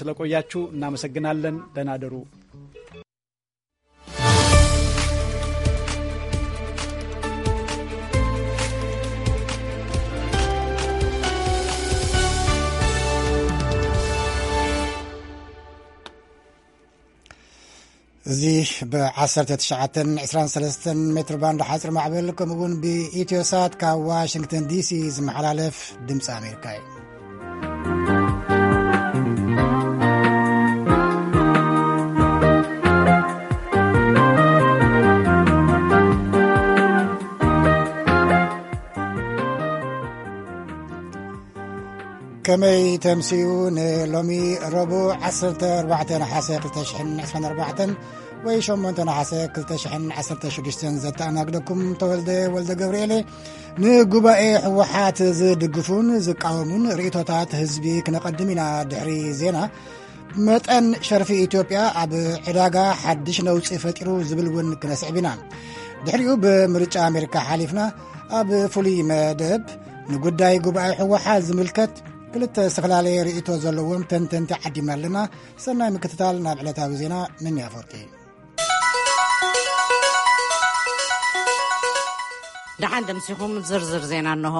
ስለቆያችሁ እናመሰግናለን። ደህና ደሩ። እዚ ብ19 23 ሜትር ባንድ ሓፂር ማዕበል፣ ከምኡ እውን ብኢትዮሳት ካብ ዋሽንግተን ዲሲ ዝመሓላለፍ ድምፂ ኣሜሪካ እዩ። ከመይ ተምስዩ? ንሎሚ ረቡዕ 14 ነሓሰ 2024 ወይ 8 ነሓሰ 2016 ዘተኣናግደኩም ተወልደ ወልደ ገብርኤል። ንጉባኤ ህወሓት ዝድግፉን ዝቃወሙን ርእይቶታት ህዝቢ ክነቐድም ኢና። ድሕሪ ዜና፣ መጠን ሸርፊ ኢትዮጵያ ኣብ ዕዳጋ ሓድሽ ነውጺ ፈጢሩ ዝብል እውን ክነስዕብ ኢና። ድሕሪኡ ብምርጫ ኣሜሪካ ሓሊፍና፣ ኣብ ፍሉይ መደብ ንጉዳይ ጉባኤ ህወሓት ዝምልከት ክልተ ዝተፈላለየ ርእይቶ ዘለዎም ተንተንቲ ዓዲምና ኣለና። ሰናይ ምክትታል። ናብ ዕለታዊ ዜና፣ ምኒ ኣፈወርቂ። ደሓን ደምሲኹም። ዝርዝር ዜና እንሆ።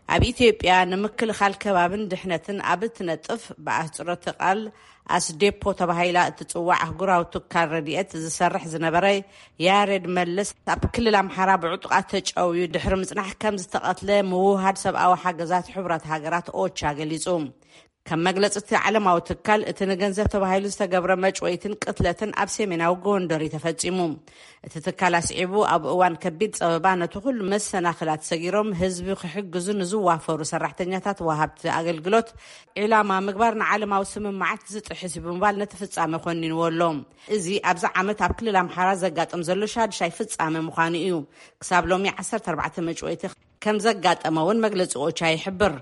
ኣብ ኢትዮጵያ ንምክልኻል ከባብን ድሕነትን ኣብ እትነጥፍ፣ ብኣህጽሮተ ቃል ኣስዴፖ ተባሂላ እትጽዋዕ ኣህጉራዊ ትካል ረድኤት ዝሰርሕ ዝነበረ ያሬድ መለስ፣ ኣብ ክልል ኣምሓራ ብዕጡቓት ተጨውዩ ድሕሪ ምጽናሕ ከም ዝተቐትለ ምውህሃድ ሰብኣዊ ሓገዛት ሕቡራት ሃገራት ኦቻ ገሊጹ። ከም መግለጺ እቲ ዓለማዊ ትካል፣ እቲ ንገንዘብ ተባሂሉ ዝተገብረ መጭወይትን ቅትለትን ኣብ ሰሜናዊ ጎንደር እዩ ተፈጺሙ። እቲ ትካል ኣስዒቡ፣ ኣብ እዋን ከቢድ ጸበባ ነቲ ኩሉ መሰናኽላት ሰጊሮም ህዝቢ ክሕግዙ ንዝዋፈሩ ሰራሕተኛታት ወሃብቲ ኣገልግሎት ዒላማ ምግባር ንዓለማዊ ስምምዓት ዝጥሕስ እዩ ብምባል ነቲ ፍጻመ ኮኒንዎ ኣሎ። እዚ ኣብዚ ዓመት ኣብ ክልል ኣምሓራ ዘጋጥም ዘሎ ሻድሻይ ፍጻመ ምዃኑ እዩ። ክሳብ ሎሚ 14 መጭወይቲ ከም ዘጋጠመ እውን መግለጺ ኦቻ ይሕብር።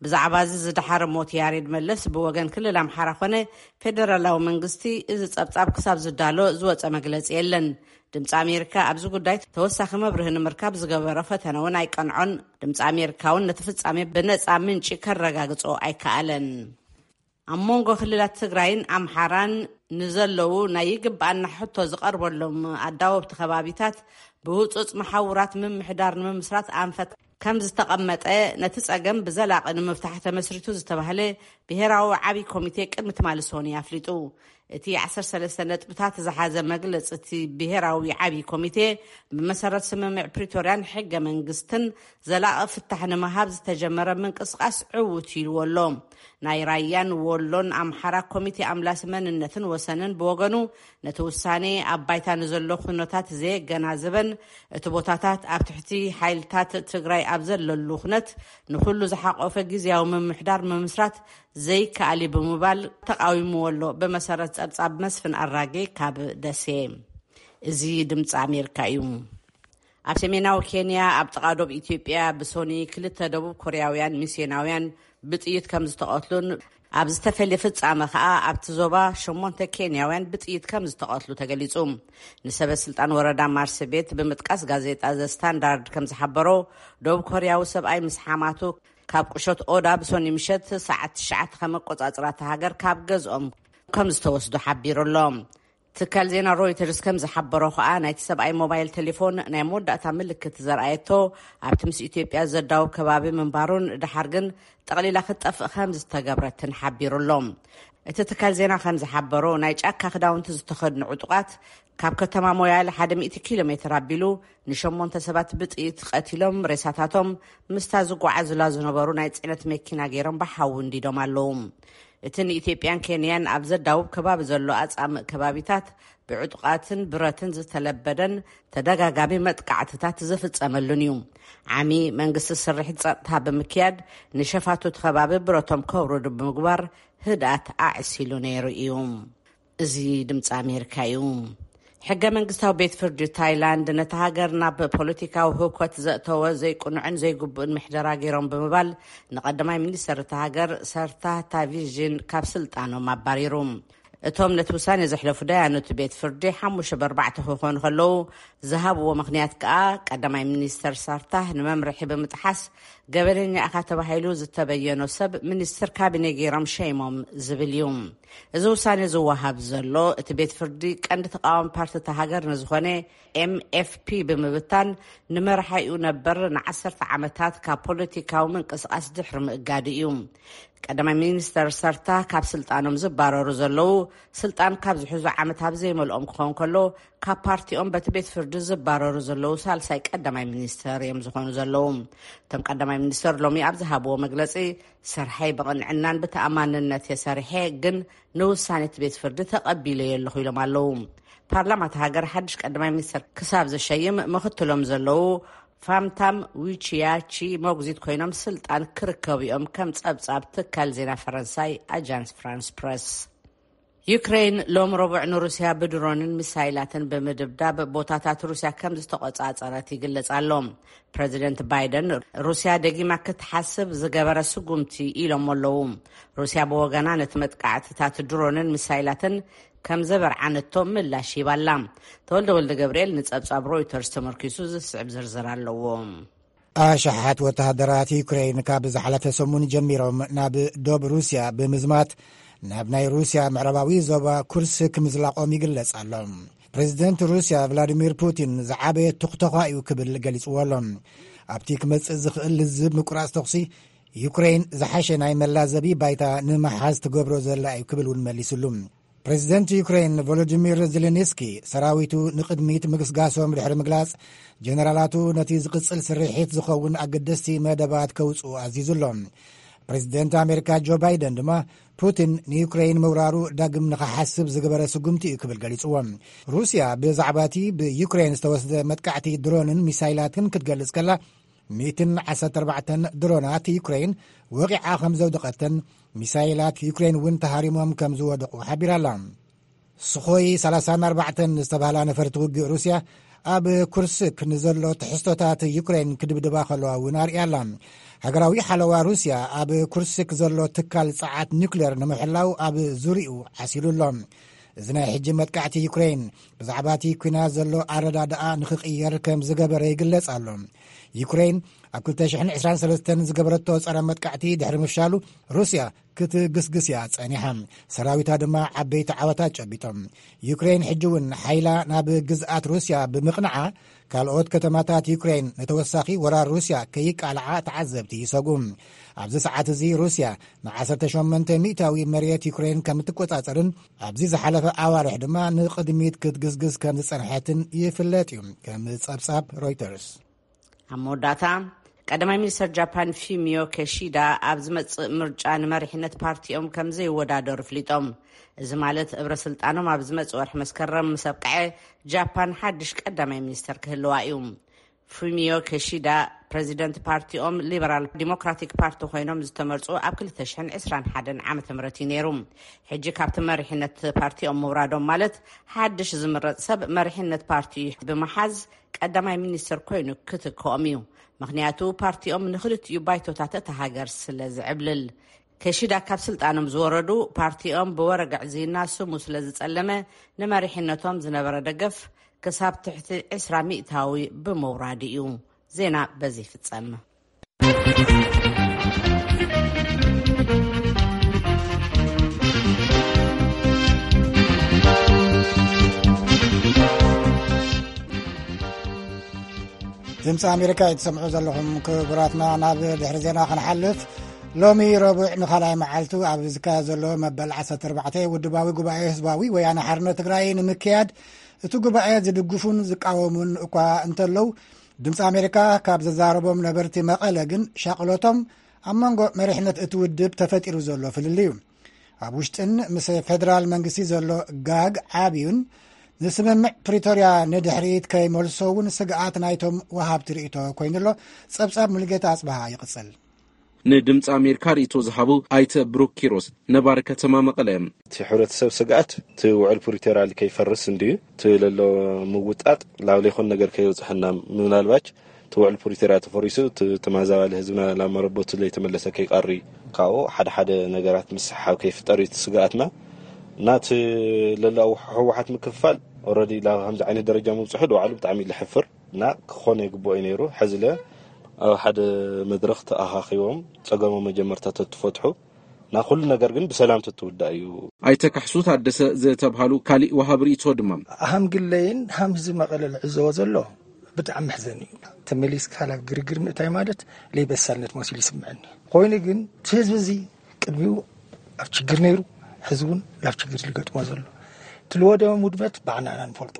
ብዛዕባ እዚ ዝደሓረ ሞት ያሬድ መለስ ብወገን ክልል ኣምሓራ ኮነ ፌደራላዊ መንግስቲ እዚ ጸብጻብ ክሳብ ዝዳሎ ዝወጸ መግለጺ የለን። ድምፂ ኣሜሪካ ኣብዚ ጉዳይ ተወሳኺ መብርሂ ንምርካብ ዝገበሮ ፈተነ እውን ኣይቀንዖን። ድምፂ ኣሜሪካ እውን ነቲ ፍጻሜ ብነጻ ምንጪ ከረጋግጾ ኣይከኣለን። ኣብ መንጎ ክልላት ትግራይን ኣምሓራን ንዘለዉ ናይ ይግባኣና ሕቶ ዝቐርበሎም ኣዳወብቲ ከባቢታት ብህጹጽ መሓውራት ምምሕዳር ንምምስራት ኣንፈት ከም ዝተቐመጠ፣ ነቲ ጸገም ብዘላቒ ንምፍታሕ ተመስሪቱ ዝተባህለ ብሄራዊ ዓብዪ ኮሚቴ ቅድሚ ትማሊ ሰኑይ ኣፍሊጡ። እቲ 13 ነጥብታት ዝሓዘ መግለጺ እቲ ብሄራዊ ዓብዪ ኮሚቴ፣ ብመሰረት ስምምዕ ፕሪቶርያን ሕገ መንግስትን ዘላቒ ፍታሕ ንምሃብ ዝተጀመረ ምንቅስቓስ ዕዉት ኢልዎ ኣሎ። ናይ ራያን ወሎን ኣምሓራ ኮሚቴ ኣምላሲ መንነትን ወሰንን ብወገኑ፣ ነቲ ውሳኔ ኣብ ባይታ ንዘሎ ኩነታት ዘየገናዘበን እቲ ቦታታት ኣብ ትሕቲ ሓይልታት ትግራይ ኣብ ዘለሉ ኩነት ንኹሉ ዝሓቆፈ ግዝያዊ ምምሕዳር ምምስራት ዘይከኣል እዩ ብምባል ተቃዊምዎ ኣሎ። ብመሰረት ጸብጻብ መስፍን ኣራጌ ካብ ደሴ። እዚ ድምፂ ኣሜሪካ እዩ። ኣብ ሰሜናዊ ኬንያ፣ ኣብ ጥቓ ዶብ ኢትዮጵያ፣ ብሶኒ ክልተ ደቡብ ኮርያውያን ሚስዮናውያን ብጥይት ከም ዝተቐትሉን ኣብ ዝተፈልየ ፍጻመ ከኣ ኣብቲ ዞባ ሸሞንተ ኬንያውያን ብጥይት ከም ዝተቐትሉ ተገሊጹ። ንሰበ ስልጣን ወረዳ ማርሲ ቤት ብምጥቃስ ጋዜጣ ዘ ስታንዳርድ ከም ዝሓበሮ፣ ደቡብ ኮርያዊ ሰብኣይ ምስ ሓማቱ ካብ ቁሸት ኦዳ ብሶኒ ምሸት ሰዓት ትሽዓተ ከመቆጻጽራ እታ ሃገር ካብ ገዝኦም ከም ዝተወስዱ ሓቢሩ ኣሎ። ትካል ዜና ሮይተርስ ከም ዝሓበሮ ከኣ፣ ናይቲ ሰብኣይ ሞባይል ቴሌፎን ናይ መወዳእታ ምልክት ዘርኣየቶ ኣብቲ ምስ ኢትዮጵያ ዘዳውብ ከባቢ ምንባሩን ድሓር ግን ጠቕሊላ ክትጠፍእ ከም ዝተገብረትን ሓቢሩ ኣሎ። እቲ ትካል ዜና ከም ዝሓበሮ፣ ናይ ጫካ ክዳውንቲ ዝተኸድኑ ዕጡቓት ካብ ከተማ ሞያል ሓደ ሚእቲ ኪሎ ሜትር ኣቢሉ ንሸሞንተ ሰባት ብጥይት ቀቲሎም፣ ሬሳታቶም ምስታ ዝጓዓዙላ ዝነበሩ ናይ ጽዕነት መኪና ገይሮም ብሓዊ እንዲዶም ኣለዉ። እቲ ንኢትዮጵያን ኬንያን ኣብ ዘዳውብ ከባቢ ዘሎ ኣጻምእ ከባቢታት ብዕጡቓትን ብረትን ዝተለበደን ተደጋጋሚ መጥቃዕትታት ዝፍጸመሉን እዩ። ዓሚ መንግስቲ ስርሒት ጸጥታ ብምክያድ፣ ንሸፋቱ እቲ ከባቢ ብረቶም ከውርዱ ብምግባር ህድኣት ኣዕሲሉ ነይሩ እዩ። እዚ ድምፂ ኣሜሪካ እዩ። ሕገ መንግስታዊ ቤት ፍርዲ ታይላንድ፣ ነታ ሃገር ናብ ፖለቲካዊ ህውከት ዘእተወ ዘይቅኑዕን ዘይግቡእን ምሕደራ ገይሮም ብምባል፣ ንቀዳማይ ሚኒስተር እታ ሃገር ሰርታ ታቪዥን ካብ ስልጣኖም ኣባሪሩ። እቶም ነቲ ውሳኔ ዘሕለፉ ዳያኑ እቲ ቤት ፍርዲ ሓሙሽተ ብኣርባዕተ ክኾኑ ከለዉ፣ ዝሃብዎ ምኽንያት ከኣ ቀዳማይ ሚኒስተር ሳርታህ ንመምርሒ ብምጥሓስ ገበነኛ ኢኻ ተባሂሉ ዝተበየኖ ሰብ ሚኒስትር ካቢኔ ገይሮም ሸይሞም ዝብል እዩ። እዚ ውሳኔ ዝወሃብ ዘሎ እቲ ቤት ፍርዲ ቀንዲ ተቃዋሚ ፓርቲ እታ ሃገር ንዝኾነ ኤምኤፍፒ ብምብታን ንመርሓኡ ነበር ንዓሰርተ ዓመታት ካብ ፖለቲካዊ ምንቅስቃስ ድሕሪ ምእጋዱ እዩ። ቀዳማይ ሚኒስተር ሰርታ ካብ ስልጣኖም ዝባረሩ ዘለዉ፣ ስልጣን ካብ ዝሕዙ ዓመት ኣብ ዘይመልኦም ክኸውን ከሎ፣ ካብ ፓርቲኦም በቲ ቤት ፍርዲ ዝባረሩ ዘለዉ ሳልሳይ ቀዳማይ ሚኒስተር እዮም ዝኾኑ ዘለዉ። እቶም ቀዳማይ ሚኒስተር ሎሚ ኣብ ዝሃብዎ መግለጺ፣ ስርሐይ ብቕንዕናን ብተኣማንነት የሰሪሐ፣ ግን ንውሳኔ እቲ ቤት ፍርዲ ተቐቢለዮ ኣለኹ ኢሎም ኣለዉ። ፓርላማ እታ ሃገር ሓድሽ ቀዳማይ ሚኒስተር ክሳብ ዝሸይም፣ ምኽትሎም ዘለዉ ፋምታም ዊቺያቺ ሞግዚት ኮይኖም ስልጣን ክርከቡ እዮም፣ ከም ጸብጻብ ትካል ዜና ፈረንሳይ ኣጃንስ ፍራንስ ፕረስ። ዩክሬን ሎም ረቡዕ ንሩስያ ብድሮንን ሚሳይላትን ብምድብዳብ ቦታታት ሩስያ ከም ዝተቆጻጸረት ይግለጽ ኣሎ። ፕረዚደንት ባይደን፣ ሩስያ ደጊማ ክትሓስብ ዝገበረ ስጉምቲ ኢሎም ኣለዉ። ሩስያ ብወገና ነቲ መጥቃዕትታት ድሮንን ሚሳይላትን ከም ዘበርዓነቶ ምላሽ ሂባላ። ተወልደ ወልደ ገብርኤል ንጸብጻብ ሮይተርስ ተመርኪሱ ዝስዕብ ዝርዝር ኣለዎ። ኣሽሓት ወተሃደራት ዩክሬን ካብ ዝሓለፈ ሰሙን ጀሚሮም ናብ ዶብ ሩስያ ብምዝማት ናብ ናይ ሩስያ ምዕራባዊ ዞባ ኩርስክ ምዝላቖም ይግለጽ ኣሎ። ፕሬዚደንት ሩስያ ቭላዲሚር ፑቲን ዝዓበየ ትኹተኳ እዩ ክብል ገሊጽዎ ኣሎ። ኣብቲ ክመጽእ ዝኽእል ልዝብ ምቁራጽ ተኹሲ ዩክሬን ዝሓሸ ናይ መላዘቢ ባይታ ንምሓዝ ትገብሮ ዘላ እዩ ክብል እውን መሊስሉ። ፕሬዚደንት ዩክሬን ቮሎዲሚር ዜሌንስኪ ሰራዊቱ ንቕድሚት ምግስጋሶም ድሕሪ ምግላጽ፣ ጀነራላቱ ነቲ ዝቕጽል ስርሒት ዝኸውን ኣገደስቲ መደባት ከውጽኡ ኣዚዙ ኣሎ። ፕሬዚደንት ኣሜሪካ ጆ ባይደን ድማ ፑቲን ንዩክሬን ምውራሩ ዳግም ንኽሓስብ ዝገበረ ስጉምቲ እዩ ክብል ገሊጽዎ። ሩስያ ብዛዕባ እቲ ብዩክሬን ዝተወስደ መጥቃዕቲ ድሮንን ሚሳይላትን ክትገልጽ ከላ፣ ሚእትን ዓሰርተ ኣርባዕተን ድሮናት ዩክሬን ወቒዓ ከም ዘውደቐተን፣ ሚሳይላት ዩክሬን እውን ተሃሪሞም ከም ዝወደቑ ሓቢራ ኣላ። ስኾይ ሰላሳን ኣርባዕተን ዝተባህላ ነፈርቲ ውግእ ሩስያ ኣብ ኩርስክ ንዘሎ ትሕዝቶታት ዩክሬን ክድብድባ ከለዋ እውን ኣርእያ ኣላ። ሃገራዊ ሓለዋ ሩስያ ኣብ ኩርስክ ዘሎ ትካል ጸዓት ኒውክሌር ንምሕላው ኣብ ዙርያኡ ዓሲሉ ኣሎ። እዚ ናይ ሕጂ መጥቃዕቲ ዩክሬን ብዛዕባ እቲ ኲናት ዘሎ ኣረዳድኣ ንኽቕየር ከም ዝገበረ ይግለጽ ኣሎ። ዩክሬን ኣብ ክልተ ሽሕን ዕስራን ሰለስተን ዝገበረቶ ጸረ መጥቃዕቲ ድሕሪ ምፍሻሉ፣ ሩስያ ክትግስግስ እያ ጸኒሓ። ሰራዊታ ድማ ዓበይቲ ዓወታት ጨቢጦም። ዩክሬን ሕጂ እውን ሓይላ ናብ ግዝኣት ሩስያ ብምቕንዓ፣ ካልኦት ከተማታት ዩክሬን ንተወሳኺ ወራር ሩስያ ከይቃልዓ ተዓዘብቲ ይሰግኡ። ኣብዚ ሰዓት እዚ ሩስያ ንዓሰርተ ሸሞንተ ሚእታዊ መሬት ዩክሬን ከም እትቆጻጸርን ኣብዚ ዝሓለፈ ኣዋርሕ ድማ ንቕድሚት ክትግስግስ ከም ዝጸንሐትን ይፍለጥ እዩ፣ ከም ጸብጻብ ሮይተርስ። ኣብ መወዳእታ፣ ቀዳማይ ሚኒስተር ጃፓን ፊሚዮ ኬሺዳ ኣብ ዝመጽእ ምርጫ ንመሪሕነት ፓርቲኦም ከም ዘይወዳደሩ ኣፍሊጦም። እዚ ማለት እብረ ስልጣኖም ኣብ ዝመጽእ ወርሒ መስከረም ምስ ኣብቅዐ፣ ጃፓን ሓድሽ ቀዳማይ ሚኒስተር ክህልዋ እዩ። ፉሚዮ ኬሺዳ ፕረዚደንት ፓርቲኦም ሊበራል ዲሞክራቲክ ፓርቲ ኮይኖም ዝተመርጹ ኣብ ክልተ ሽሕን ዕስራን ሓደን ዓመተ ምህረት እዩ ነይሩ። ሕጂ ካብቲ መሪሕነት ፓርቲኦም ምውራዶም ማለት ሓድሽ ዝምረጽ ሰብ መሪሕነት ፓርቲ ብምሓዝ ቀዳማይ ሚኒስትር ኮይኑ ክትክኦም እዩ። ምኽንያቱ ፓርቲኦም ንክልቲኡ ባይቶታት እታ ሃገር ስለ ዝዕብልል። ኬሺዳ ካብ ስልጣኖም ዝወረዱ ፓርቲኦም ብወረግዕ ዝይና ስሙ ስለ ዝጸለመ ንመሪሕነቶም ዝነበረ ደገፍ ክሳብ ትሕቲ ዕስራ ሚእታዊ ብምውራዱ እዩ። ዜና በዚ ይፍጸም። ድምፂ ኣሜሪካ እዩ ትሰምዑ ዘለኹም ክቡራትና። ናብ ድሕሪ ዜና ክንሓልፍ፣ ሎሚ ረቡዕ ንኻልኣይ መዓልቱ ኣብ ዝካየድ ዘሎ መበል ዓሰርተ ኣርባዕተ ውድባዊ ጉባኤ ህዝባዊ ወያነ ሓርነት ትግራይ ንምክያድ፣ እቲ ጉባኤ ዝድግፉን ዝቃወሙን እኳ እንተለዉ፣ ድምፂ ኣሜሪካ ካብ ዘዛረቦም ነበርቲ መቐለ ግን ሻቕሎቶም ኣብ መንጎ መሪሕነት እቲ ውድብ ተፈጢሩ ዘሎ ፍልልይ እዩ። ኣብ ውሽጥን ምስ ፌደራል መንግስቲ ዘሎ ጋግ ዓብዩን፣ ንስምምዕ ፕሪቶርያ ንድሕሪት ከይመልሶ እውን ስግኣት ናይቶም ወሃብቲ ርእይቶ ኮይኑሎ። ጸብጻብ ሙሉጌታ ኣጽብሃ ይቕጽል። ንድምፂ ኣሜሪካ ርእይቶ ዝሃቡ ኣይተ ብሩክ ኪሮስ፣ ነባሪ ከተማ መቐለ እዮም። እቲ ሕብረተሰብ ስግኣት እቲ ውዕል ፕሪቶርያ ከይፈርስ እንድዩ፣ እቲ ለሎ ምውጣጥ ላብ ለይኮን ነገር ከይበፅሐና፣ ምናልባች እቲ ውዕል ፕሪቶርያ ተፈሪሱ እቲ ተማዛባሊ ህዝብና ላብ መረበቱ ለይተመለሰ ከይቀሪ፣ ካብኡ ሓደ ሓደ ነገራት ምስሓብ ከይፍጠር እዩ እቲ ስግኣትና። ናት ለላው ህወሓት ምክፍፋል ኦረዲ ላ ከምዚ ዓይነት ደረጃ ምብፅሑ ድባዕሉ ብጣዕሚ ለሕፍር እና ክኾነ ይግብኦ እዩ ነይሩ። ሕዚ ለ ኣብ ሓደ መድረኽ ተኣኻኺቦም ፀገሞ መጀመርታ ተትፈትሑ፣ ና ኩሉ ነገር ግን ብሰላም ተትውዳእ እዩ። ኣይተካሕሱ ታደሰ ዝተብሃሉ ካሊእ ወሃብ ርእቶ ድማ፣ ሃም ግለይን ሃም ህዝቢ መቐለ ልዕዘቦ ዘሎ ብጣዕሚ መሕዘኒ እዩ። ተመሊስካ ናብ ግርግር ምእታይ ማለት ለይበሳልነት መሲሉ ይስምዐኒ። ኮይኑ ግን እቲ ህዝቢ እዚ ቅድሚኡ ኣብ ችግር ነይሩ፣ ሕዚ እውን ናብ ችግር ዝገጥሞ ዘሎ። እቲ ልወደመ ውድመት ባዕናና ንፈልጦ።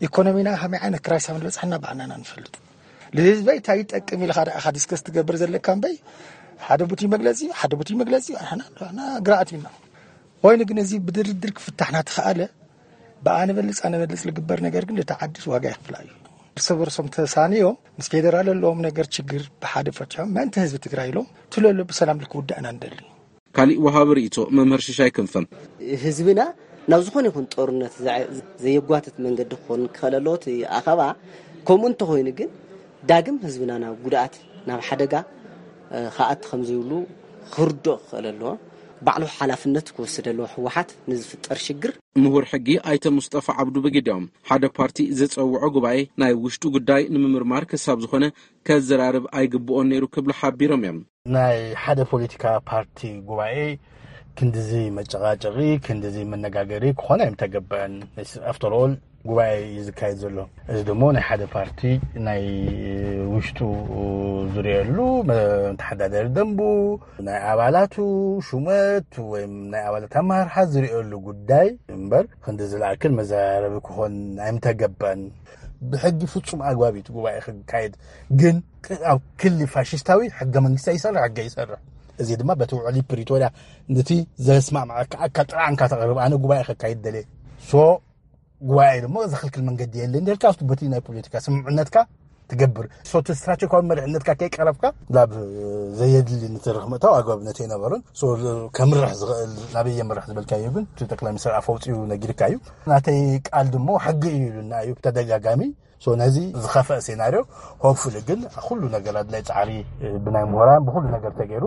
ኢኮኖሚና ከመይ ዓይነት ክራይስ ከም ዝበፅሐና ባዕናና ንፈልጥ። ንህዝበይ እንታይ ይጠቅም ኢልካ ደኣ ዲስከስ ትገብር ዘለካ እምበይ፣ ሓደ ቡቲ መግለፂ ሓደ ቡቲ መግለፂ ኣና ግርኣት ኢና። ኮይኑ ግን እዚ ብድርድር ክፍታሕ ናተኸኣለ ብኣነ በልፅ ኣነ በልፅ ዝግበር ነገር ግን እቲ ዓድስ ዋጋ ይኽፍላ እዩ። እርስ በርሶም ተሳንዮም ምስ ፌደራል ኣለዎም ነገር ችግር ብሓደ ፈትሖም ምእንቲ ህዝቢ ትግራይ ኢሎም ትለሎ ብሰላም ልክውዳእና ንደሊ። ካሊእ ወሃቢ ርእቶ መምህር ሽሻይ ክንፈ፣ ህዝብና ናብ ዝኾነ ይኹን ጦርነት ዘየጓትት መንገዲ ክኾን ክኽእል ኣለዎ እቲ ኣኸባ። ከምኡ እንተኾይኑ ግን ዳግም ህዝብና ናብ ጉድኣት ናብ ሓደጋ ክኣት ከም ዘይብሉ ክርድኦ ክኽእል ኣለዎ። ባዕሉ ሓላፍነት ክወስድ ኣለዎ ህወሓት ንዝፍጠር ሽግር። ምሁር ሕጊ ኣይተ ሙስጠፋ ዓብዱ ብግዲኦም፣ ሓደ ፓርቲ ዝፀውዖ ጉባኤ ናይ ውሽጡ ጉዳይ ንምምርማር ክሳብ ዝኾነ ከዘራርብ ኣይግብኦን ነይሩ ክብሉ ሓቢሮም እዮም። ናይ ሓደ ፖለቲካ ፓርቲ ጉባኤ ክንድዚ መጨቃጨቂ ክንድዚ መነጋገሪ ክኾነ ኣይምተገበአን። ኣፍተርኦል ጉባኤ እዩ ዝካየድ ዘሎ። እዚ ድማ ናይ ሓደ ፓርቲ ናይ ውሽጡ ዝርእየሉ መተሓዳደሪ ደንቡ፣ ናይ ኣባላቱ ሹመት ወይ ናይ ኣባላት ኣመራርሓ ዝርእየሉ ጉዳይ እምበር ክንዲ ዝለኣክል መዘራረቢ ክኾን ኣይምተገበን። ብሕጊ ፍጹም ኣግባብ እዩ እቲ ጉባኤ ክካየድ። ግን ኣብ ክሊ ፋሽስታዊ ሕገ መንግስቲ ይሰርሕ ሕገ ይሰርሕ። እዚ ድማ በቲ ውዕሊ ፕሪቶርያ ነቲ ዘስማማዓካ ኣካል ጥራሕ እንካ ተቕርብ ኣነ ጉባኤ ከካይድ ደልየ ሶ ጉባኤ ድማ ዘኽልክል መንገዲ የለ እንዲልካ ኣብቲ በቲ ናይ ፖለቲካ ስምምዕነትካ ትገብር ሶቲ ስትራቴጂካዊ መሪሕነትካ ከይቀረብካ ናብ ዘየድሊ ንትርኽ ምእታው ኣግባብነት ኣይነበረን። ከምርሕ ዝኽእል ናበይ የምርሕ ዝበልካዮ ግን እቲ ጠቅላይ ሚኒስትር ኣፈውፅኡ ነጊርካ እዩ። ናተይ ቃል ድማ ሕጊ እዩ ኢሉና እዩ ብተደጋጋሚ። ነዚ ዝኸፈእ ሴናርዮ ሆፕፉሊ ግን ኩሉ ነገር ኣድላይ ፃዕሪ ብናይ ምሁራን ብኩሉ ነገር ተገይሩ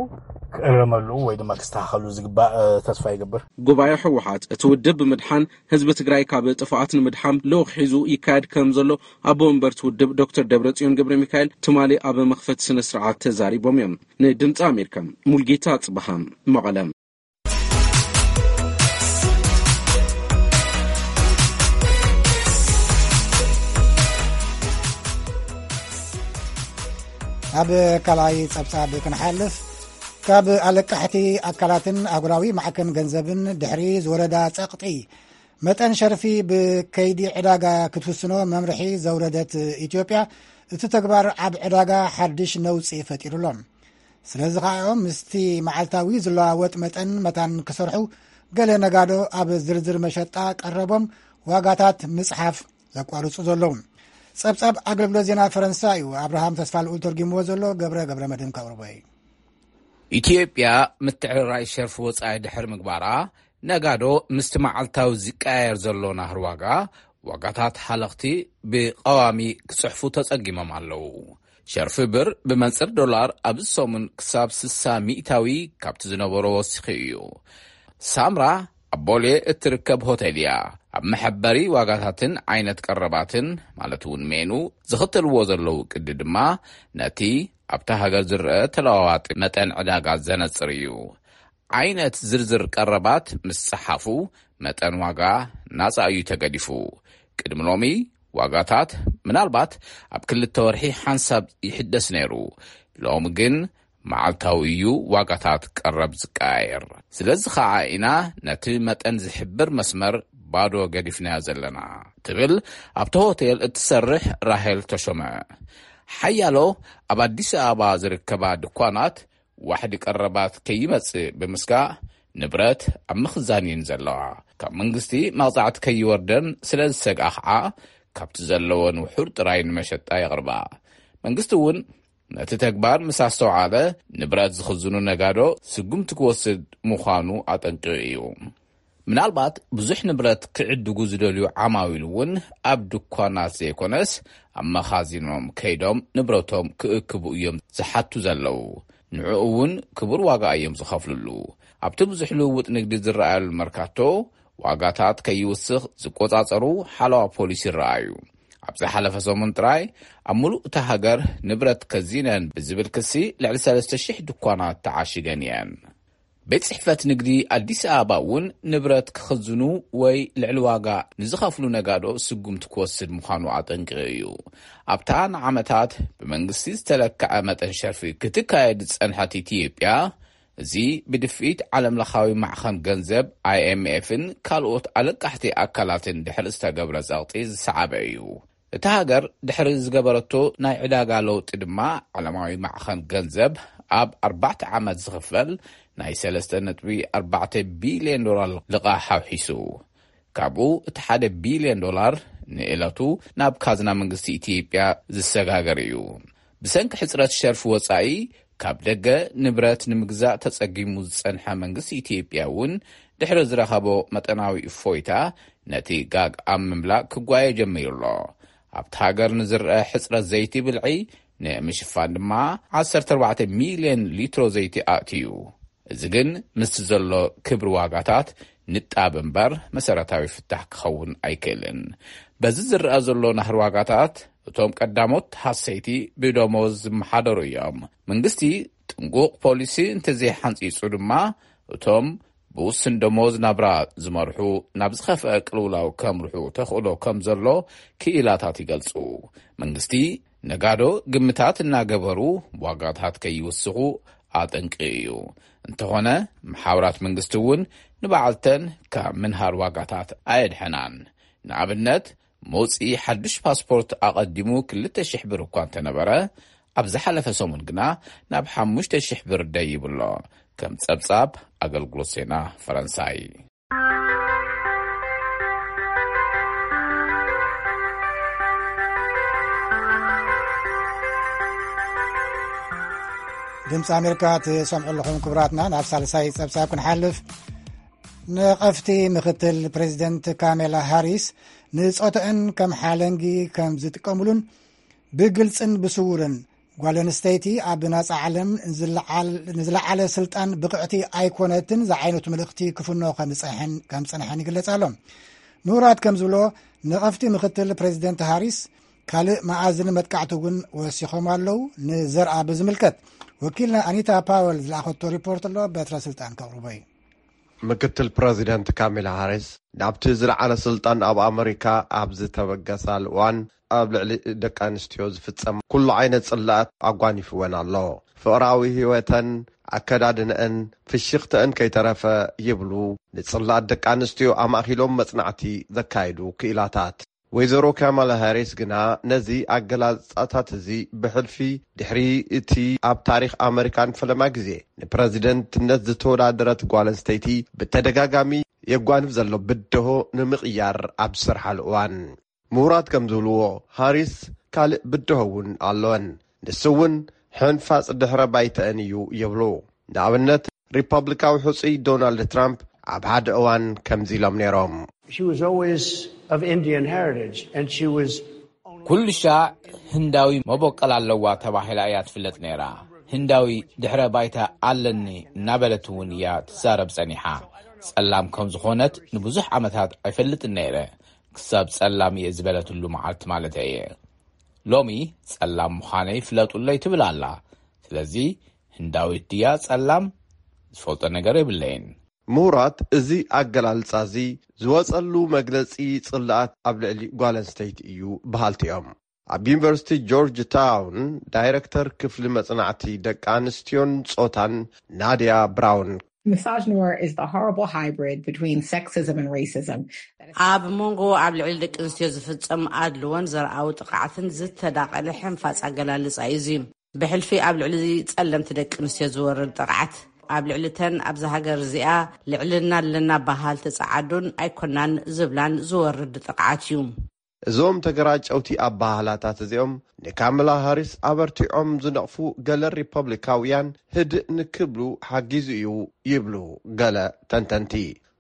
ክእረመሉ ወይ ድማ ክስተካከሉ ዝግባእ ተስፋ ይገብር። ጉባኤ ህወሓት እቲ ውድብ ብምድሓን ህዝቢ ትግራይ ካብ ጥፍኣት ንምድሓን ልኡኽ ሒዙ ይካየድ ከም ዘሎ ኣቦ መንበርቲ ውድብ ዶክተር ደብረፅዮን ገብረ ሚካኤል ትማሊ ኣብ መኽፈቲ ስነ ስርዓት ተዛሪቦም እዮም። ንድምፂ ኣሜሪካ ሙልጌታ ፅበሃ መቐለ። ኣብ ካልኣይ ጸብጻብ ክንሓልፍ፣ ካብ ኣለቃሕቲ ኣካላትን ኣህጉራዊ ማዕከን ገንዘብን ድሕሪ ዝወረዳ ጸቕጢ፣ መጠን ሸርፊ ብከይዲ ዕዳጋ ክትውስኖ መምርሒ ዘውረደት ኢትዮጵያ፣ እቲ ተግባር ኣብ ዕዳጋ ሓድሽ ነውጺ ፈጢሩሎም። ስለዚ ከኣ እዮም ምስቲ መዓልታዊ ዝለዋወጥ መጠን መታን ክሰርሑ፣ ገለ ነጋዶ ኣብ ዝርዝር መሸጣ ቀረቦም ዋጋታት ምጽሓፍ ዘቋርጹ ዘለዉ። ጸብጻብ ኣገልግሎት ዜና ፈረንሳ እዩ ኣብርሃም ተስፋልኡል ተርጊምዎ ዘሎ። ገብረ ገብረ መድህን ከቕርቦ እዩ። ኢትዮጵያ ምትዕርራይ ሸርፊ ወጻኢ ድሕሪ ምግባራ፣ ነጋዶ ምስቲ መዓልታዊ ዝቀያየር ዘሎ ናህሪ ዋጋ፣ ዋጋታት ሃለኽቲ ብቐዋሚ ክጽሕፉ ተጸጊሞም ኣለዉ። ሸርፊ ብር ብመንጽር ዶላር ኣብዚ ሰሙን ክሳብ ስሳ ሚእታዊ ካብቲ ዝነበሮ ወሲኹ እዩ። ሳምራ ኣብ ቦሌ እትርከብ ሆቴል እያ። ኣብ መሐበሪ ዋጋታትን ዓይነት ቀረባትን፣ ማለት እውን ሜኑ፣ ዝኽተልዎ ዘለዉ ቅዲ ድማ ነቲ ኣብታ ሃገር ዝረአ ተለዋዋጢ መጠን ዕዳጋ ዘነጽር እዩ። ዓይነት ዝርዝር ቀረባት ምስ ጸሓፉ፣ መጠን ዋጋ ናጻ እዩ ተገዲፉ። ቅድሚ ሎሚ ዋጋታት ምናልባት ኣብ ክልተ ወርሒ ሓንሳብ ይሕደስ ነይሩ። ሎሚ ግን መዓልታዊ እዩ ዋጋታት ቀረብ ዝቀያየር። ስለዚ ኸዓ ኢና ነቲ መጠን ዝሕብር መስመር ባዶ ገዲፍናዮ ዘለና፣ ትብል ኣብቲ ሆቴል እትሰርሕ ራሄል ተሾመ። ሓያሎ ኣብ ኣዲስ ኣበባ ዝርከባ ድኳናት ዋሕዲ ቀረባት ከይመጽእ ብምስጋእ፣ ንብረት ኣብ ምኽዛን እየን ዘለዋ። ካብ መንግስቲ መቕጻዕቲ ከይወርደን ስለ ዝሰግኣ ኸዓ፣ ካብቲ ዘለወን ውሑድ ጥራይ ንመሸጣ የቕርባ። መንግስቲ እውን ነቲ ተግባር ምስ ኣስተውዓለ፣ ንብረት ዝኽዝኑ ነጋዶ ስጉምቲ ክወስድ ምዃኑ ኣጠንቂቑ እዩ። ምናልባት ብዙሕ ንብረት ክዕድጉ ዝደልዩ ዓማዊል እውን ኣብ ድኳናት ዘይኮነስ ኣብ መኻዚኖም ከይዶም ንብረቶም ክእክቡ እዮም ዝሓቱ ዘለዉ። ንዕኡ እውን ክቡር ዋጋ እዮም ዝኸፍልሉ። ኣብቲ ብዙሕ ልውውጥ ንግዲ ዝረኣየሉ መርካቶ ዋጋታት ከይውስኽ ዝቆጻጸሩ ሓለዋ ፖሊስ ይረኣዩ። ኣብ ዝሓለፈ ሰሙን ጥራይ ኣብ ምሉእ እታ ሃገር ንብረት ከዚነን ብዝብል ክሲ ልዕሊ ሰለስተ ሽሕ ድኳናት ተዓሺገን እየን። ቤት ጽሕፈት ንግዲ ኣዲስ ኣበባ እውን ንብረት ክኽዝኑ ወይ ልዕሊ ዋጋ ንዝኸፍሉ ነጋዶ ስጉምቲ ክወስድ ምዃኑ ኣጠንቂቑ እዩ። ኣብታ ንዓመታት ብመንግስቲ ዝተለክዐ መጠን ሸርፊ ክትካየድ ዝጸንሐት ኢትዮጵያ፣ እዚ ብድፍኢት ዓለምለኻዊ ማዕኸን ገንዘብ ኣይኤምኤፍን ካልኦት ኣለቃሕቲ ኣካላትን ድሕሪ ዝተገብረ ጸቕጢ ዝሰዓበ እዩ። እታ ሃገር ድሕሪ ዝገበረቶ ናይ ዕዳጋ ለውጢ ድማ፣ ዓለማዊ ማዕኸን ገንዘብ ኣብ ኣርባዕተ ዓመት ዝኽፈል ናይ ሰለስተ ነጥቢ ኣርባዕተ ቢልዮን ዶላር ልቓሕ ኣውሒሱ። ካብኡ እቲ ሓደ ቢልዮን ዶላር ንእለቱ ናብ ካዝና መንግስቲ ኢትዮጵያ ዝሰጋገር እዩ። ብሰንኪ ሕጽረት ሸርፊ ወጻኢ፣ ካብ ደገ ንብረት ንምግዛእ ተጸጊሙ ዝጸንሐ መንግስቲ ኢትዮጵያ እውን፣ ድሕሪ ዝረኸቦ መጠናዊ እፎይታ፣ ነቲ ጋግ ኣብ ምምላእ ክጓየ ጀሚሩ ኣሎ። ኣብቲ ሃገር ንዝረአ ሕጽረት ዘይቲ ብልዒ ንምሽፋን ድማ፣ ዓሰርተ ኣርባዕተ ሚልዮን ሊትሮ ዘይቲ ኣእትዩ። እዚ ግን ምስቲ ዘሎ ክብሪ ዋጋታት ንጣብ እምበር፣ መሰረታዊ ፍታሕ ክኸውን ኣይክእልን። በዚ ዝረኣ ዘሎ ናህሪ ዋጋታት፣ እቶም ቀዳሞት ሃሰይቲ ብደሞዝ ዝመሓደሩ እዮም። መንግስቲ ጥንቁቕ ፖሊሲ እንተዘይሓንጺጹ ድማ፣ እቶም ብውስን ደሞዝ ናብራ ዝመርሑ ናብ ዝኸፍአ ቅልውላው ከምርሑ ተኽእሎ ከም ዘሎ ክኢላታት ይገልጹ። መንግስቲ ነጋዶ ግምታት እናገበሩ ዋጋታት ከይውስኹ ኣጠንቂቑ እዩ። እንተኾነ፣ መሓውራት መንግስቲ እውን ንበዓልተን ካብ ምንሃር ዋጋታት ኣየድሐናን። ንኣብነት፣ መውጽኢ ሓዱሽ ፓስፖርት ኣቐዲሙ ክልተ ሽሕ ብር እኳ እንተነበረ፣ ኣብ ዝሓለፈ ሰሙን ግና ናብ ሓሙሽተ ሽሕ ብር ደይቡ ኣሎ። ከም ጸብጻብ ኣገልግሎት ዜና ፈረንሳይ። ድምፂ ኣሜሪካ ትሰምዑ ኣለኹም ክቡራትና። ናብ ሳልሳይ ጸብጻብ ክንሓልፍ፣ ነቐፍቲ ምክትል ፕሬዚደንት ካሜላ ሃሪስ ንጾተአን ከም ሓለንጊ ከም ዝጥቀሙሉን ብግልጽን ብስውርን ጓል ኣንስተይቲ ኣብ ናጻ ዓለም ንዝለዓል-፣ ንዝለዓለ ስልጣን ብቕዕቲ ኣይኮነትን ዝዓይነቱ መልእኽቲ ክፍኖ ከም ዝጸንሐን፣ ከም ዝጸንሐን ይግለጽ ኣሎ። ምሁራት ከም ዝብሎ፣ ነቐፍቲ ምክትል ፕሬዚደንት ሃሪስ ካልእ መኣዝን መጥቃዕቲ እውን ወሲኾም ኣለዉ። ንዘርኣ ብዝምልከት፣ ወኪልና ኣኒታ ፓወል ዝለኣኸቶ ሪፖርት ኣሎ፣ በትረ ስልጣን ከቕርቦ እዩ። ምክትል ፕረዚደንት ካሜላ ሃሪስ ናብቲ ዝለዓለ ስልጣን ኣብ ኣመሪካ ኣብ ዝተበገሳሉ እዋን፣ ኣብ ልዕሊ ደቂ ኣንስትዮ ዝፍጸም ኩሉ ዓይነት ጽላኣት ኣጓኒፍወን ኣሎ። ፍቕራዊ ህይወተን፣ ኣከዳድንአን፣ ፍሽኽተአን ከይተረፈ ይብሉ፣ ንጽላኣት ደቂ ኣንስትዮ ኣማእኪሎም መጽናዕቲ ዘካየዱ ክኢላታት። ወይዘሮ ካማላ ሃሪስ ግና ነዚ ኣገላልጻታት እዚ ብሕልፊ፣ ድሕሪ እቲ ኣብ ታሪኽ ኣመሪካ ንፈለማ ግዜ ንፕረዚደንትነት ዝተወዳደረት ጓል ኣንስተይቲ ብተደጋጋሚ የጓንፍ ዘሎ ብድሆ ንምቕያር ኣብ ዝሰርሓሉ እዋን፣ ምሁራት ከም ዝብልዎ፣ ሃሪስ ካልእ ብድሆ እውን ኣለወን። ንሱ እውን ሕንፋጽ ድሕረ ባይተአን እዩ ይብሉ። ንኣብነት፣ ሪፐብሊካዊ ሕጹይ ዶናልድ ትራምፕ ኣብ ሓደ እዋን ከምዚ ኢሎም ነይሮም። She was always of Indian heritage, and she was only ኩሉ ሻዕ ህንዳዊ መበቆል ኣለዋ ተባሂላ እያ ትፍለጥ ነይራ። ህንዳዊ ድሕረ ባይታ ኣለኒ እናበለት እውን እያ ትዛረብ ጸኒሓ። ጸላም ከም ዝኾነት ንብዙሕ ዓመታት ኣይፈልጥን ነይረ፣ ክሳብ ጸላም እየ ዝበለትሉ መዓልቲ ማለት እየ። ሎሚ ጸላም ምዃነይ ፍለጡለይ ትብል ኣላ። ስለዚ ህንዳዊት ድያ ጸላም? ዝፈልጦ ነገር የብለይን። ምሁራት፣ እዚ ኣገላልጻ እዚ ዝወጸሉ መግለጺ ጽልኣት ኣብ ልዕሊ ጓል ኣንስተይቲ እዩ በሃልቲ እዮም። ኣብ ዩኒቨርሲቲ ጆርጅ ታውን ዳይረክተር ክፍሊ መጽናዕቲ ደቂ ኣንስትዮን ጾታን ናድያ ብራውን፣ Misogynoir is the horrible hybrid between sexism and racism. ኣብ መንጎ ኣብ ልዕሊ ደቂ ኣንስትዮ ዝፍጸም ኣድልዎን ዘርኣዊ ጥቕዓትን ዝተዳቐለ ሕንፋጽ ኣገላልጻ እዩ እዚ። ብሕልፊ ኣብ ልዕሊ ጸለምቲ ደቂ ኣንስትዮ ዝወርድ ጥቕዓት፣ ኣብ ልዕሊ ተን ኣብዛ ሃገር እዚኣ ልዕልና ኣለና በሃልቲ ጸዓዱን ኣይኮናን ዝብላን ዝወርድ ጥቕዓት እዩ። እዞም ተገራጨውቲ ኣበሃህላታት እዚኦም ንካማላ ሃሪስ ኣበርቲዖም ዝነቕፉ ገለ ሪፐብሊካውያን፣ ህድእ ንክብሉ ሓጊዙ እዩ ይብሉ ገለ ተንተንቲ።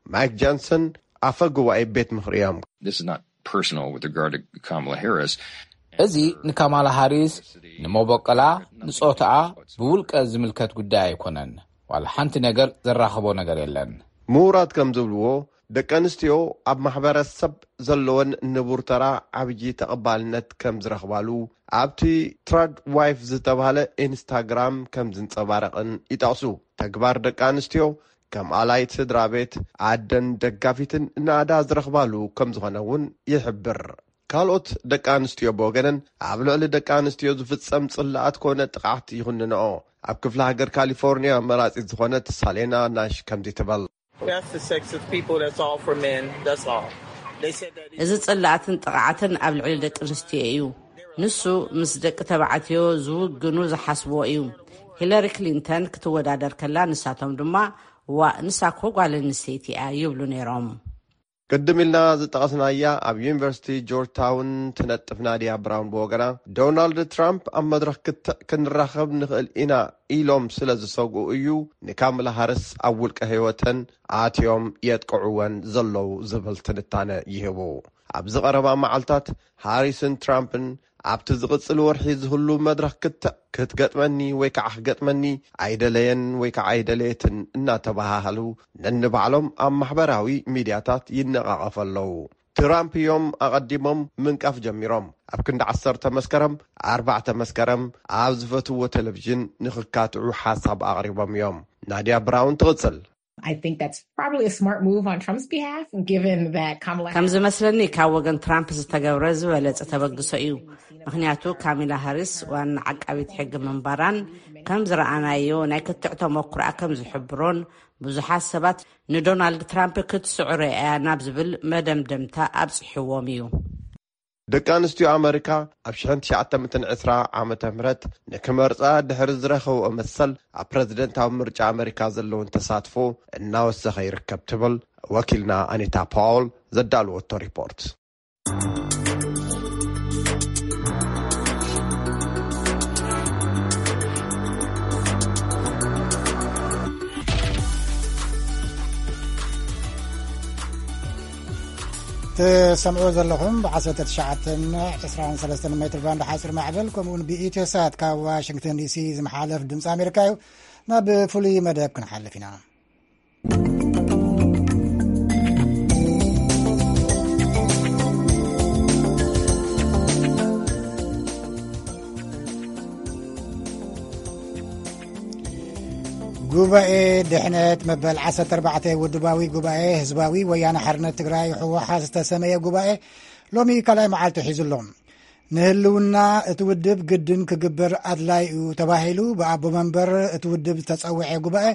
ማይክ ጃንሰን ኣፈ ጉባኤ ቤት ምኽሪ እዮም። This is not personal with regard to Kamala Harris. እዚ ንካማላ ሃሪስ፣ ንመበቆላ፣ ንጾታኣ ብውልቀ ዝምልከት ጉዳይ ኣይኮነን። ዋላ ሓንቲ ነገር ዘራኽቦ ነገር የለን። ምሁራት ከም ዝብልዎ፣ ደቂ ኣንስትዮ ኣብ ማሕበረሰብ ዘለወን ንቡር ተራ ዓብዪ ተቐባልነት ከም ዝረኽባሉ ኣብቲ ትራድ ዋይፍ ዝተባህለ ኢንስታግራም ከም ዝንጸባረቕን ይጠቕሱ። ተግባር ደቂ ኣንስትዮ ከም ኣላይት ስድራ ቤት፣ ኣደን ደጋፊትን ናእዳ ዝረኽባሉ ከም ዝኾነ እውን ይሕብር። ካልኦት ደቂ ኣንስትዮ ብወገነን ኣብ ልዕሊ ደቂ ኣንስትዮ ዝፍጸም ጽላኣት ኮነ ጥቕዓት ይኹንንኦ። ኣብ ክፍለ ሃገር ካሊፎርኒያ መራጺት ዝኾነት ሳሌና ናሽ ከምዚ ትበል። That's the sex of people that's all for men. That's all. They said that. እዚ ጽላኣትን ጥቕዓትን ኣብ ልዕሊ ደቂ ኣንስትዮ እዩ። ንሱ ምስ ደቂ ተባዕትዮ ዝውግኑ ዝሓስብዎ እዩ። ሂለሪ ክሊንተን ክትወዳደር ከላ ንሳቶም ድማ፣ "ዋእ፣ ንሳ እኮ ጓል ኣንስተይቲ እያ" ይብሉ ነይሮም። ቅድም ኢልና ዝጠቐስናያ ኣብ ዩኒቨርሲቲ ጆርጅ ታውን ትነጥፍ ናድያ ብራውን ብወገና፣ ዶናልድ ትራምፕ ኣብ መድረኽ ክትዕ ክንራኸብ ንኽእል ኢና ኢሎም ስለ ዝሰግኡ እዩ ንካምላ ሃርስ ኣብ ውልቀ ህይወተን ኣትዮም የጥቅዕወን ዘለዉ ዝብል ትንታነ ይህቡ። ኣብዚ ቀረባ መዓልታት ሃሪስን ትራምፕን ኣብቲ ዝቕጽል ወርሒ ዝህሉ መድረኽ ክትዕ ክትገጥመኒ ወይ ከዓ ክገጥመኒ ኣይደለየን ወይ ከዓ ኣይደለየትን እናተባሃሃሉ ነንባዕሎም ኣብ ማሕበራዊ ሚድያታት ይነቓቐፉ ኣለዉ። ትራምፕ እዮም ኣቐዲሞም ምንቃፍ ጀሚሮም። ኣብ ክንዲ ዓሰርተ መስከረም፣ ኣርባዕተ መስከረም ኣብ ዝፈትዎ ቴሌቪዥን ንኽካትዑ ሓሳብ ኣቕሪቦም እዮም። ናድያ ብራውን ትቕጽል። I think that's probably a smart move on Trump's behalf, given that Kamala ከም ዝመስለኒ ካብ ወገን ትራምፕ ዝተገብረ ዝበለጸ ተበግሶ እዩ። ምኽንያቱ ካሚላ ሃሪስ ዋና ዓቃቢት ሕጊ ምንባራን ከም ዝረኣናዮ ናይ ክትዕ ተመኩሮኣ ከም ዝሕብሮን ብዙሓት ሰባት ንዶናልድ ትራምፕ ክትስዕሮ እያ ናብ ዝብል መደምደምታ ኣብጽሕዎም እዩ። ደቂ ኣንስትዮ ኣመሪካ ኣብ ሽሕን ትሽዓተ ሚእትን ዕስራ ዓመተ ምህረት ንክመርጻ ድሕሪ ዝረኸብኦ መሰል ኣብ ፕረዚደንታዊ ምርጫ ኣመሪካ ዘለውን ተሳትፎ እናወሰኸ ይርከብ ትብል ወኪልና ኣኒታ ፓውል ዘዳልወቶ ሪፖርት። ትሰምዑ ዘለኹም ብ19 23 ሜትር ባንድ ሓፂር ማዕበል ከምኡውን ብኢትዮ ሳት ካብ ዋሽንግተን ዲሲ ዝመሓለፍ ድምፂ ኣሜሪካ እዩ። ናብ ፍሉይ መደብ ክንሓልፍ ኢና። ጉባኤ ድሕነት መበል ዓሰርተ ኣርባዕተ ውድባዊ ጉባኤ ህዝባዊ ወያነ ሓርነት ትግራይ፣ ህወሓት፣ ዝተሰመየ ጉባኤ ሎሚ ካልኣይ መዓልቱ ሒዙ ኣሎ። ንህልውና እቲ ውድብ ግድን ክግበር ኣድላይ እዩ ተባሂሉ ብኣቦ መንበር እቲ ውድብ ዝተጸውዐ ጉባኤ፣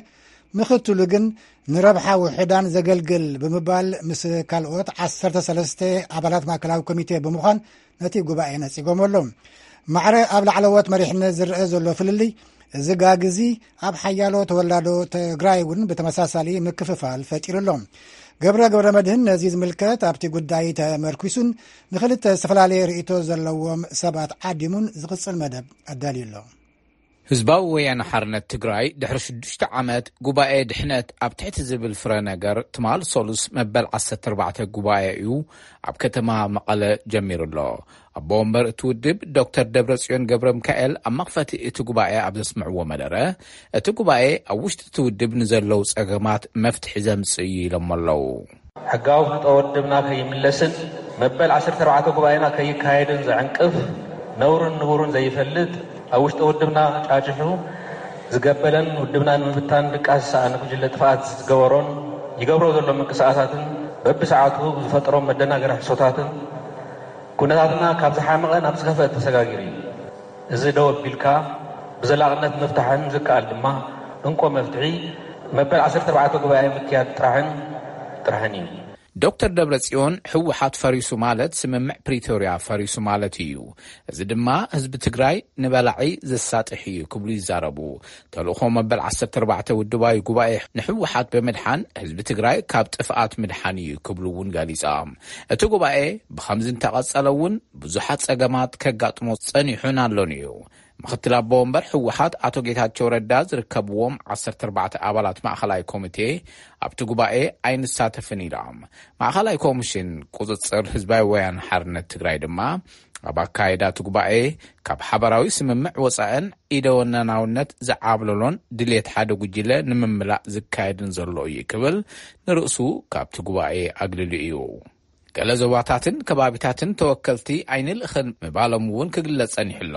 ምኽትሉ ግን ንረብሓ ውሑዳን ዘገልግል ብምባል ምስ ካልኦት ዓሰርተ ሰለስተ ኣባላት ማእከላዊ ኮሚቴ ብምዃን ነቲ ጉባኤ ነጺጎም ኣሎ። ማዕረ ኣብ ላዕለዎት መሪሕነት ዝረአ ዘሎ ፍልልይ፣ እዚ ጋግ እዚ ኣብ ሓያሎ ተወላዶ ትግራይ እውን ብተመሳሳሊ ምክፍፋል ፈጢሩ ኣሎ። ገብረ ገብረ መድህን ነዚ ዝምልከት ኣብቲ ጉዳይ ተመርኩሱን ንክልተ ዝተፈላለየ ርእይቶ ዘለዎም ሰባት ዓዲሙን ዝቕጽል መደብ ኣዳልዩ ኣሎ። ህዝባዊ ወያነ ሓርነት ትግራይ ድሕሪ ሽዱሽተ ዓመት ጉባኤ ድሕነት ኣብ ትሕቲ ዝብል ፍረ ነገር ትማል ሰሉስ መበል ዓሰርተ ኣርባዕተ ጉባኤ እዩ ኣብ ከተማ መቐለ ጀሚሩ ኣሎ። ኣቦ ወንበር እቲ ውድብ ዶክተር ደብረጽዮን ገብረ ሚካኤል ኣብ መኽፈቲ እቲ ጉባኤ ኣብ ዘስምዕዎ መደረ፣ እቲ ጉባኤ ኣብ ውሽጢ እቲ ውድብ ንዘለዉ ጸገማት መፍትሒ ዘምጽእ እዩ ኢሎም ኣለዉ። ሕጋዊ ፍልጦ ውድብና ከይምለስን መበል ዓሰርተ ኣርባዕተ ጉባኤና ከይካየድን ዘዕንቅፍ፣ ነውርን ንቡርን ዘይፈልጥ፣ ኣብ ውሽጢ ውድብና ጫጭሑ ዝገበለን ውድብና ንምብታን ድቃስ ዝሰኣነ ጉጅለ ጥፍኣት ዝገበሮን ይገብሮ ዘሎ ምንቅስቃሳትን በብሰዓቱ ዝፈጥሮም መደናገሪ ሕሶታትን ኩነታትና ካብ ዝሓመቐ ናብ ዝኸፍአ ተሰጋጊሩ እዩ። እዚ ደው ኣቢልካ ብዘላቕነት ምፍታሕን ዝከኣል ድማ እንኮ መፍትሒ መበል ዓሰርተ ኣርባዕተ ጉባኤ ምክያድ ጥራሕን ጥራሕን እዩ። ዶክተር ደብረጽዮን፣ ህወሓት ፈሪሱ ማለት ስምምዕ ፕሪቶርያ ፈሪሱ ማለት እዩ። እዚ ድማ ህዝቢ ትግራይ ንበላዒ ዘሳጥሕ እዩ ክብሉ ይዛረቡ። ተልእኾ መበል ዓሰርተ ኣርባዕተ ውድባዊ ጉባኤ ንህወሓት ብምድሓን ህዝቢ ትግራይ ካብ ጥፍኣት ምድሓን እዩ ክብሉ እውን ገሊጾም። እቲ ጉባኤ ብኸምዚ እንተቐጸለ እውን ብዙሓት ጸገማት ከጋጥሞ ጸኒሑን ኣሎን እዩ። ምኽትል ኣቦ ወንበር ህወሓት ኣቶ ጌታቸው ረዳ ዝርከብዎም ዓሰርተ ኣርባዕተ ኣባላት ማእኸላይ ኮሚቴ ኣብቲ ጉባኤ ኣይንሳተፍን ኢሎም። ማእኸላይ ኮሚሽን ቁፅፅር ህዝባዊ ወያነ ሓርነት ትግራይ ድማ ኣብ ኣካይዳ እቲ ጉባኤ ካብ ሓበራዊ ስምምዕ ወጻእን ኢደወነናውነት ዝዓብለሎን ድሌት ሓደ ጉጅለ ንምምላእ ዝካየድን ዘሎ እዩ ክብል ንርእሱ ካብቲ ጉባኤ ኣግልሉ እዩ። ገለ ዞባታትን ከባቢታትን ተወከልቲ ኣይንልእኽን ምባሎም እውን ክግለጽ ጸኒሑ ኣሎ።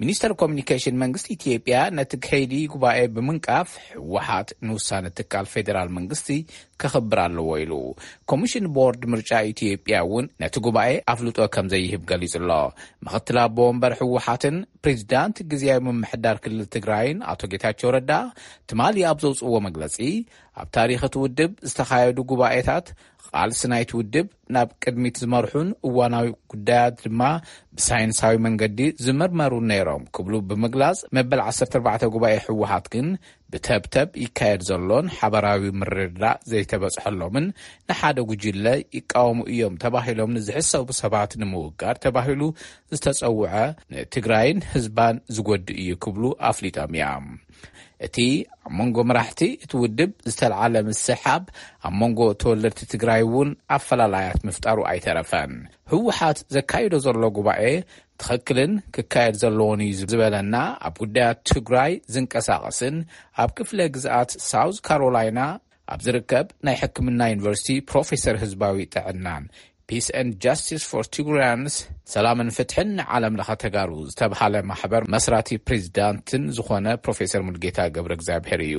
ሚኒስተር ኮሚኒኬሽን መንግስቲ ኢትዮጵያ ነቲ ከይዲ ጉባኤ ብምንቃፍ፣ ህወሓት ንውሳነ ትካል ፌዴራል መንግስቲ ከኽብር ኣለዎ ኢሉ። ኮሚሽን ቦርድ ምርጫ ኢትዮጵያ እውን ነቲ ጉባኤ ኣፍልጦ ከም ዘይህብ ገሊጹ ኣሎ። ምኽትል ኣቦ ወንበር ህወሓትን ፕሬዚዳንት ግዝያዊ ምምሕዳር ክልል ትግራይን ኣቶ ጌታቸው ረዳ ትማሊ ኣብ ዘውፅዎ መግለጺ፣ ኣብ ታሪኽ እቲ ውድብ ዝተኻየዱ ጉባኤታት ቃልሲ ናይቲ ውድብ ናብ ቅድሚት ዝመርሑን እዋናዊ ጉዳያት ድማ ብሳይንሳዊ መንገዲ ዝምርመሩ ነይሮም ክብሉ ብምግላጽ፣ መበል ዓሰርተ ኣርባዕተ ጉባኤ ህወሓት ግን ብተብተብ ይካየድ ዘሎን ሓበራዊ ምርድዳእ ዘይተበጽሐሎምን ንሓደ ጉጅለ ይቃወሙ እዮም ተባሂሎም ንዝሕሰቡ ሰባት ንምውጋድ ተባሂሉ ዝተጸውዐ ንትግራይን ህዝባን ዝጎድእ እዩ ክብሉ ኣፍሊጦም እዮም። እቲ ኣብ መንጎ መራሕቲ እቲ ውድብ ዝተልዓለ ምስሕሓብ ኣብ መንጎ ተወለድቲ ትግራይ እውን ኣፈላላያት ምፍጣሩ ኣይተረፈን። ህወሓት ዘካይዶ ዘሎ ጉባኤ ትኽክልን ክካየድ ዘለዎን እዩ ዝበለና ኣብ ጉዳያት ትግራይ ዝንቀሳቐስን ኣብ ክፍለ ግዝኣት ሳውዝ ካሮላይና ኣብ ዝርከብ ናይ ሕክምና ዩኒቨርሲቲ ፕሮፌሰር ህዝባዊ ጥዕናን Peace and Justice for Tigrayans፣ ሰላምን ፍትሕን ንዓለም ለኸ ተጋሩ ዝተብሃለ ማሕበር መስራቲ ፕሬዚዳንትን ዝኾነ ፕሮፌሰር ሙልጌታ ገብረ እግዚኣብሔር እዩ።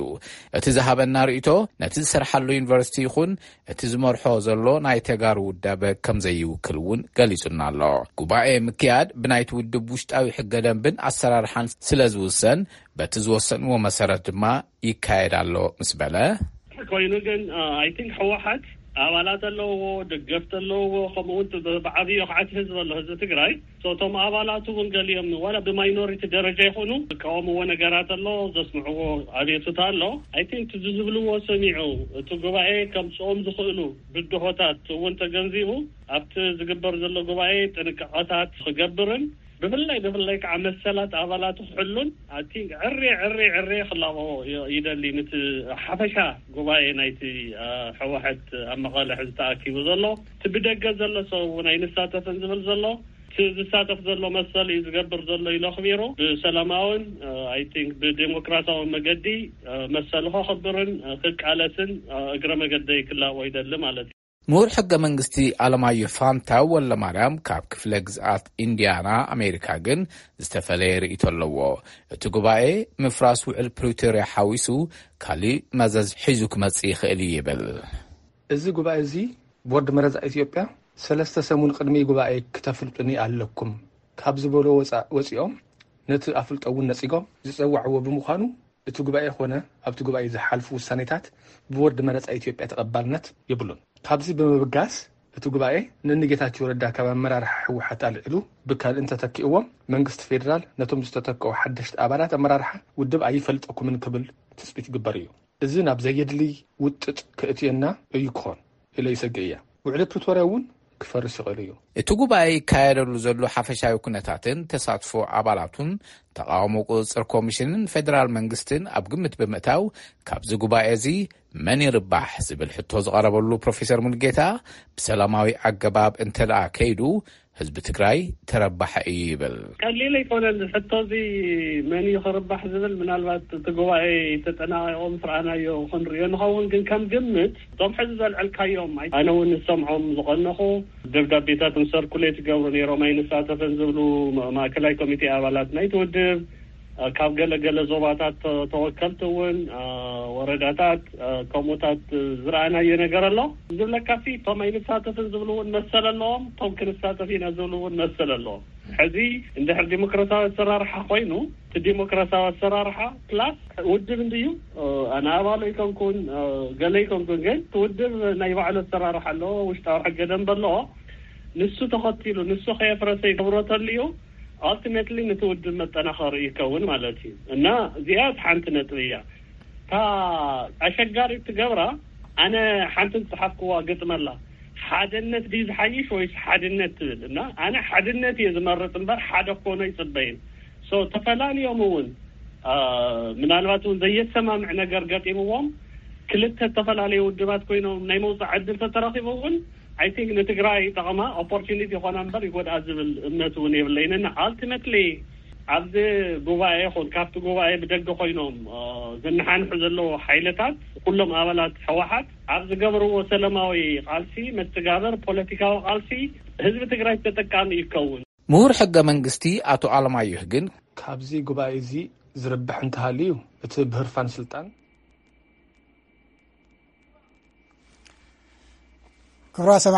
እቲ ዝሃበና ርእይቶ ነቲ ዝሰርሓሉ ዩኒቨርሲቲ ይኹን እቲ ዝመርሖ ዘሎ ናይ ተጋሩ ውዳበ ከም ዘይውክል እውን ገሊጹና ኣሎ። ጉባኤ ምክያድ ብናይቲ ውድብ ውሽጣዊ ሕገ ደንብን ኣሰራርሓን ስለ ዝውሰን፣ በቲ ዝወሰንዎ መሰረት ድማ ይካየድ ኣሎ ምስ በለ፣ ኮይኑ ግን፣ ኣይ ቲንክ ህወሓት ኣባላት ኣለዎ፣ ደገፍቲ ኣለዎ፣ ከምኡ እውን ብዓብዩ ከዓት ህዝቢ ኣሎ፣ ህዝቢ ትግራይ። ሶ እቶም ኣባላት እውን ገሊኦም ዋላ ብማይኖሪቲ ደረጃ ይኹኑ ዝቃወምዎ ነገራት ኣሎ፣ ዘስምዕዎ ኣቤቱታ ኣሎ። ኣይ ቲንክ እዚ ዝብልዎ ሰሚዑ እቲ ጉባኤ ከምፅኦም ዝኽእሉ ብድሆታት እውን ተገንዚቡ ኣብቲ ዝግበር ዘሎ ጉባኤ ጥንቃቐታት ክገብርን ብፍላይ ብፍላይ ከዓ መሰላት ኣባላቱ ክሕሉን ኣይ ቲንክ ዕሬ ዕሬ ዕሬ ክላቦ ይደሊ። ንቲ ሓፈሻ ጉባኤ ናይቲ ህወሓት ኣብ መቐለ ሕዚ ተኣኪቡ ዘሎ እቲ ብደገ ዘሎ ሰብ እውን ኣይንሳተፍን ዝብል ዘሎ ዝሳተፍ ዘሎ መሰል እዩ ዝገብር ዘሎ ኢሎ ኣኽቢሩ ብሰላማውን ኣይ ቲንክ ብዴሞክራሲያዊ መገዲ መሰሉ ከኽብርን ክቃለስን እግረ መገደይ ክላቦ ይደሊ ማለት እዩ። ምሁር ሕገ መንግስቲ ኣለማዮ ፋንታ ወለማርያም ካብ ክፍለ ግዝኣት ኢንዲያና ኣሜሪካ ግን ዝተፈለየ ርእይቶ ኣለዎ። እቲ ጉባኤ ምፍራስ ውዕል ፕሪቶርያ ሓዊሱ ካሊእ መዘዝ ሒዙ ክመጽእ ይኽእል እዩ ይብል። እዚ ጉባኤ እዚ ቦርድ መረፃ ኢትዮጵያ ሰለስተ ሰሙን ቅድሚ ጉባኤ ክተፍልጡኒ ኣለኩም ካብ ዝበሎ ወፃ ወፂኦም ነቲ ኣፍልጦ እውን ነፂጎም ዝፀዋዕዎ ብምዃኑ እቲ ጉባኤ ኮነ ኣብቲ ጉባኤ ዝሓልፉ ውሳኔታት ብቦርድ መረፃ ኢትዮጵያ ተቐባልነት የብሉን። ካብዚ ብምብጋስ እቲ ጉባኤ ንንጌታቸው ረዳ ካብ ኣመራርሓ ህወሓት ኣልዒሉ ብካልእ እንተተኪእዎም መንግስቲ ፌዴራል ነቶም ዝተተክኡ ሓደሽቲ ኣባላት ኣመራርሓ ውድብ ኣይፈልጠኩምን ክብል ትፅቢት ይግበር እዩ። እዚ ናብ ዘየድልይ ውጥጥ ከእትየና እዩ ክኾን ኢለ ይሰግእ እየ። ውዕሊ ፕሪቶርያ እውን ክፈርስ ይኽእል እዩ። እቲ ጉባኤ ይካየደሉ ዘሎ ሓፈሻዊ ኩነታትን ተሳትፎ ኣባላቱን ተቓውሞ ቁፅፅር ኮሚሽንን ፌደራል መንግስትን ኣብ ግምት ብምእታው ካብዚ ጉባኤ እዚ መን ይርባሕ ዝብል ሕቶ ዝቐረበሉ ፕሮፌሰር ሙሉጌታ ብሰላማዊ ኣገባብ እንተደኣ ከይዱ ህዝቢ ትግራይ ተረባሐ እዩ ይብል። ቀሊል ኣይኮነን ሕቶ እዚ መን እዩ ክርባሕ ዝብል። ምናልባት እቲ ጉባኤ ተጠናቂቆም ስርኣናዮ ክንሪኦ ንኸውን፣ ግን ከም ግምት እቶም ሕዚ ዘልዕልካዮም ኣነ እውን ንሰምዖም ዝቐነኹ ደብዳቤታት ሰርኩሌት ይገብሩ ነይሮም ኣይንሳተፍን ዝብሉ ማእከላይ ኮሚቴ ኣባላት ናይቲ ውድብ ካብ ገለ ገለ ዞባታት ተወከልቲ እውን ወረዳታት ከምኡታት ዝረኣናዮ ነገር ኣሎ። ዝብለካ ሲ እቶም ኣይንሳተፍን ዝብሉ እውን መሰል ኣለዎም፣ እቶም ክንሳተፍ ኢና ዝብሉ እውን መሰል ኣለዎም። ሕዚ እንድሕር ዲሞክራሲያዊ ኣሰራርሓ ኮይኑ እቲ ዲሞክራሲያዊ ኣሰራርሓ ፕላስ ውድብ እንድዩ ኣነ ኣባሎ ይከንኩን ገለ ይከንኩን ግን እቲ ውድብ ናይ ባዕሉ ኣሰራርሓ ኣለዎ፣ ውሽጣዊ ሕገ ደንብ ኣለዎ። ንሱ ተኸቲሉ ንሱ ከየፍረሰ ይገብሮ ተልዩ ኣልቲሜትሊ ነቲ ውድብ መጠናኸሪ ይከውን ማለት እዩ። እና እዚኣ ሓንቲ ነጥቢ እያ። እታ ኣሸጋሪት ትገብራ ኣነ ሓንቲ ዝፀሓፍክዋ ግጥመላ ሓደነት ድዩ ዝሓይሽ ወይስ ሓድነት ትብል? እና ኣነ ሓድነት እየ ዝመርፅ እምበር ሓደ ክኾኖ ይፅበይን። ሶ ተፈላልዮም እውን ምናልባት እውን ዘየሰማምዕ ነገር ገጢምዎም ክልተ ዝተፈላለዩ ውድባት ኮይኖም ናይ መውፃእ ዕድል ተተረኪቡ እውን I think ንትግራይ ጠቕማ፣ ኦፖርቹኒቲ ይኾና እምበር ይጎድኣ ዝብል እምነት እውን የብለይን። እና ኣልቲመትሊ ኣብዚ ጉባኤ ይኹን ካብቲ ጉባኤ ብደገ ኮይኖም ዝነሓንሑ ዘለዉ ሓይልታት፣ ኩሎም ኣባላት ህወሓት ኣብ ዝገብርዎ ሰላማዊ ቃልሲ መስተጋብር ፖለቲካዊ ቃልሲ ህዝቢ ትግራይ ተጠቃሚ ይከውን። ምሁር ሕገ መንግስቲ ኣቶ ኣለማየሁ ግን፣ ካብዚ ጉባኤ እዚ ዝርብሕ እንተሃልዩ፣ እቲ ብህርፋን ስልጣን ክብራ